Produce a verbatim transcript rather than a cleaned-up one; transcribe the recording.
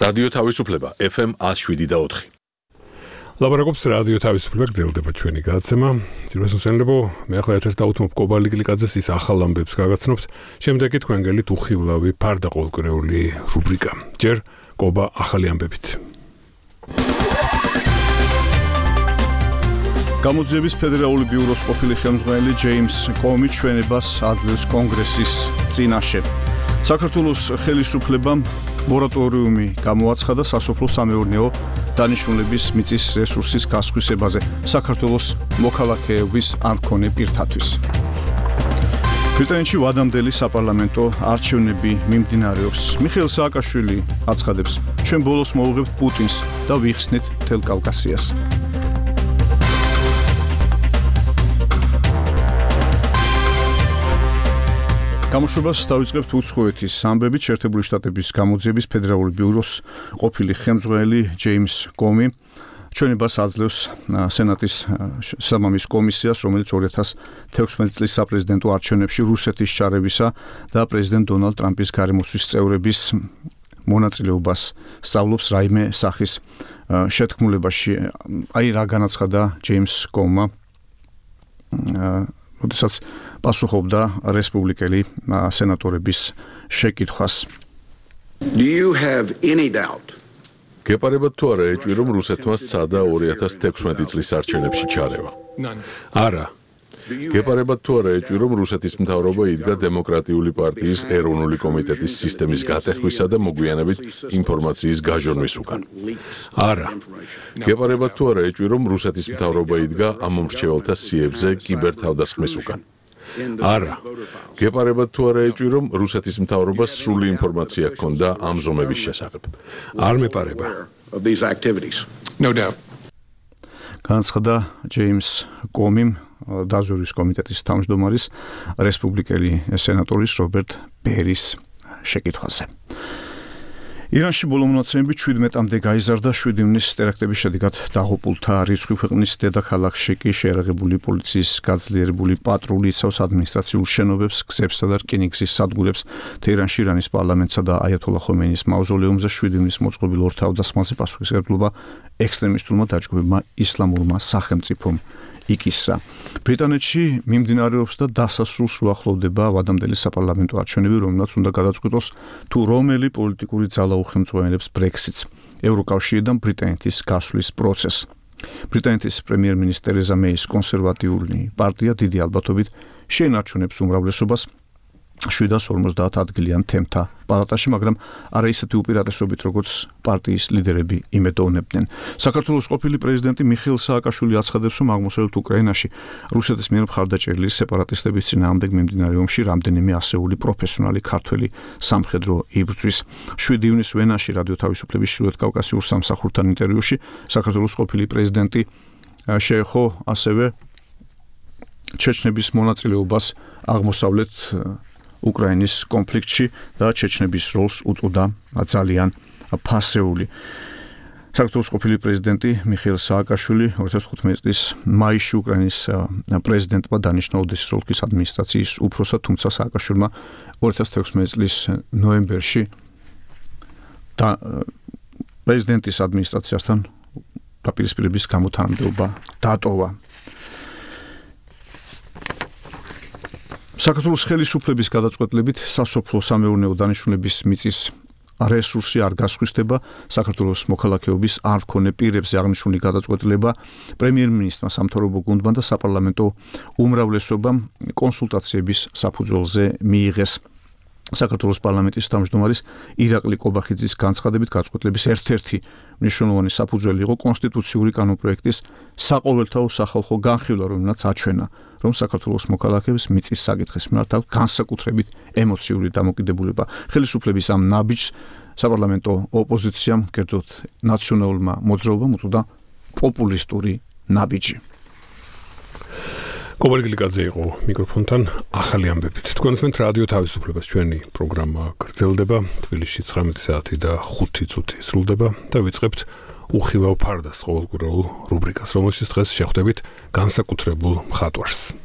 რადიო თავისუფლება ეფ ემ ათს შვიდი და ოთხი. ლაბორატორიის რადიო თავისუფლება გრძელდება ჩვენი გადაცემა. ძირას უსენლებო, მე ახლა ერთ-ერთ დავუთმობ კობალი გლიკაძეს ის ახალ ამბებს გაგაცნობთ. შემდეგ კი თქვენ გელით უხილავი ფარდა ყოველკვირეული რუბრიკა. ჯერ კობა ახალი ამბებით. გამოძიების ფედერალური ბიუროს ყოფილი ხელმძღვანელი ჯეიმს კომი ჩვენებას აძლევს კონგრესის წინაშე. საქართველოს ხელისუფლებამ მორატორიუმი გამოაცხადა სასოფლო-სამეურნეო დანიშნულების მიწის რესურსის გასხვისებაზე საქართველოს მოქალაქეების არ მქონე პირთათვის. ბრიტანეთში ვადამდელი საპარლამენტო არჩევნები მიმდინარეობს. მიხეილ სააკაშვილი აცხადებს, ჩვენ ბოლოს მოვუღებთ პუტინს და ვიხსნით მთელ კავკასიას. გამოშვებას დავიწყებთ უცხოეთის ამბებით. შეერთებული შტატების გამოძიების ფედერალური ბიუროს ყოფილი ხელმძღვანელი ჯეიმს კომი ჩვენებას აძლევს სენატის სამამის კომისიას, რომელიც ორი ათას თექვსმეტი წლის საპრეზიდენტო არჩევნებში რუსეთის ჩარევისა და პრეზიდენტ დონალდ ტრამპის გარემოსვის წევრების მონაწილეობას სწავლობს რაიმე სახის შეთქმულებაში. აი რა განაცხადა ჯეიმს კომმა, როდესაც პასუხობდა რესპუბლიკელი სენატორების შეკითხვას. Do you have any doubt? გეპარებათ თუ არა ეჭვი, რომ რუსეთმა სცადა ორი ათას თექვსმეტი წლის არჩევნებში ჩარევა? არა. გეპარებათ თუ არა ეჭვი, რომ რუსეთის მთავრობა იდგა დემოკრატიული პარტიის ეროვნული კომიტეტის სისტემის გატეხვისა და მოგვიანებით ინფორმაციის გაჟონვის უკან? არა. გეპარებათ თუ არა ეჭვი, რომ რუსეთის მთავრობა იდგა ამ მომრჩეველთა სიებზე კიბერთავდასხმის უკან? არა. გეპარებათ თუ არა ეჭვი, რომ რუსეთის მთავრობას სრული ინფორმაცია ჰქონდა ამ ზომების შესახებ? არ მეპარება. No doubt. განაცხადა ჯეიმს კომიმ დაზვერვის კომიტეტის თავმჯდომარის რესპუბლიკელი სენატორის რობერტ ბერის შეკითხვაზე. ირანში ბოლო მონაცემებით შვიდმეტამდე გაიზარდა შვიდი ივნის ტერაქტების შედეგად დაღუპულთა რიცხვი. ქვეყნის დედაქალაქში კი შეერაღებული პოლიციის გაძლიერებული პატრული იცავს ადმინისტრაციულ შენობებს, გზებსა და რკინიგზის სადგურებს. თეირანში ირანის პარლამენტსა და აიათოლა ხომეინის მავზოლეუმზე შვიდი ივნის მოწყობილ ორ თავდასხმაზე პასუხისმგებლობა ექსტრემისტულმა დაჯგუფებმა ისლამურმა სახელმწიფომ იკისრა. ბრიტანეთში მიმდინარეობს და დასასრულს უახლოვდება ვადამდელი საპარლამენტო არჩევნები, რომელსაც უნდა გადაწყვიტოს თუ რომელი პოლიტიკური ძალა უხელმძღვანელებს ბრექსიტს, ევროკავშირიდან ბრიტანეთის გასვლის პროცესს. ბრიტანეთის პრემიერ-მინისტრი ტერეზა მეის კონსერვატიული პარტია დიდი ალბათობით შეენარჩუნებს უმრავლესობას შვიდას ორმოცდაათ ადგილიან თემთა პალატაში, მაგრამ არა ისეთი უპირატესობით, როგორც პარტიის ლიდერები იმედოვნებდნენ. საქართველოს ყოფილი პრეზიდენტი მიხეილ სააკაშვილი აცხადებს, რომ აღმოსავლეთ უკრაინაში რუსეთის მიერ მხარდაჭერილი სეპარატისტების წინააღმდეგ მიმდინარე ომში რამდენიმე ასეული პროფესიონალი ქართველი სამხედრო იბრძვის. შვიდი ივნის ვენაში რადიო თავისუფლების ჩრდილოეთ კავკასიურ სამსახურთან ინტერვიუში საქართველოს ყოფილი პრეზიდენტი შეეხო ასევე ჩეჩნების მონაწილეობას აღმოსავლეთ უკრაინის კონფლიქტში და ჩეჩნების როლს უწოდა ძალიან ფასეული. საქართველოს ყოფილი პრეზიდენტი მიხეილ სააკაშვილი ორი ათას თხუთმეტი წლის მაისში უკრაინის პრეზიდენტმა დანიშნა ოდესის ოლქის ადმინისტრაციის უფროსად, თუმცა სააკაშვილმა ორი ათას თექვსმეტი წლის ნოემბერში და პრეზიდენტის ადმინისტრაციასთან დაპირისპირების გამო თანამდებობა დატოვა. საქართველოს ხელისუფლების გადაწყვეტილებით სასოფლო-სამეურნეო დანიშნულების მიწის რესურსი არ გასხვისდება. საქართველოს მოქალაქეობის არ მქონე პირებზე აღნიშნული გადაწყვეტილება პრემიერ-მინისტრმა, სამთავრობო გუნდმა და საპარლამენტო უმრავლესობამ კონსულტაციების საფუძველზე მიიღეს. საქართველოს პარლამენტის თავმჯდომარის ირაკლი კობახიძის განცხადებით გადაწყვეტილების ერთ-ერთი მნიშვნელოვანი საფუძველი იყო კონსტიტუციური კანონპროექტის საყოველთაო სახალხო განხილვა, რომელსაც აჩვენა, რომ საქართველოს მოქალაქეებს მიწის საკითხის მიმართ აქვს განსაკუთრებით ემოციური დამოკიდებულება. ხელისუფლების ამ ნაბიჯს საპარლამენტო ოპოზიციამ, კერძოდ ნაციონალურმა მოძრაობამ უწოდა პოპულისტური ნაბიჯი. კობალი გლიკაძე იყო მიკროფონთან ახალი ამბებით. თქვენ უსმენთ რადიო თავისუფლებას, ჩვენი პროგრამა გრძელდება. თბილისში ცხრამეტი საათი და ხუთი წუთი სრულდება და ვიწყებთ უხილავ ფარდას ყოველკვირეულ რუბრიკას, რომელშიც დღეს შეხვდებით განსაკუთრებულ მხატვარს.